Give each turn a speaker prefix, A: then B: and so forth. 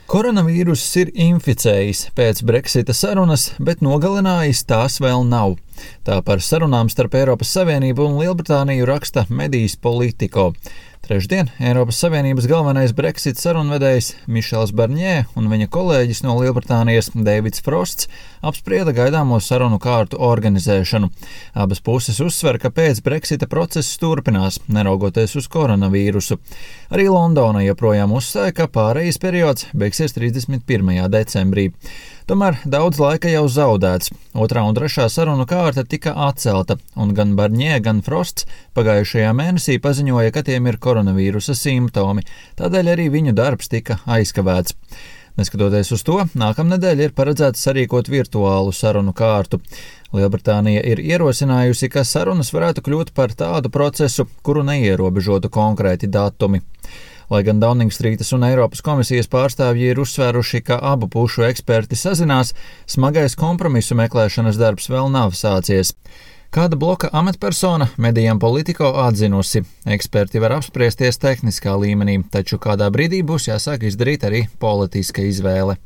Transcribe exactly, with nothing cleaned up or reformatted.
A: Koronavīruss ir inficējis pēc Brexita sarunas, bet nogalinājis tās vēl nav. Tā par sarunām starp Eiropas Savienību un Lielbritāniju raksta medijas Politico. Trešdien Eiropas Savienības galvenais Brexit sarunvedējs Mišels Barņē un viņa kolēģis no Lielbritānijas Deivids Frosts apsprieda gaidāmo sarunu kārtu organizēšanu. Abas puses uzsver, ka pēc Brexita process turpinās, neraugoties uz koronavīrusu. Arī Londona joprojām uzstāja, ka pārejas periods beigsies trīsdesmit pirmajā decembrī. Tomēr daudz laika jau zaudēts. Otrā un trešā sarunu kārta tika atcelta, un gan Barņē, gan Frosts pagājušajā mēnesī paziņoja, ka tiem ir koronavīrusa simptomi, tādēļ arī viņu darbs tika aizkavēts. Neskatoties uz to, nākamnedēļ ir paredzēts sarīkot virtuālu sarunu kārtu. Lielbritānija ir ierosinājusi, ka sarunas varētu kļūt par tādu procesu, kuru neierobežotu konkrēti datumi. Lai gan Downing Streetas un Eiropas komisijas pārstāvji ir uzsvēruši, ka abu pušu eksperti sazinās, smagais kompromisu meklēšanas darbs vēl nav sācies. Kāda bloka amatpersona medijām Politico atzinusi. Eksperti var apspriesties tehniskā līmenī, taču kādā brīdī būs jāsāk izdarīt arī politiska izvēle.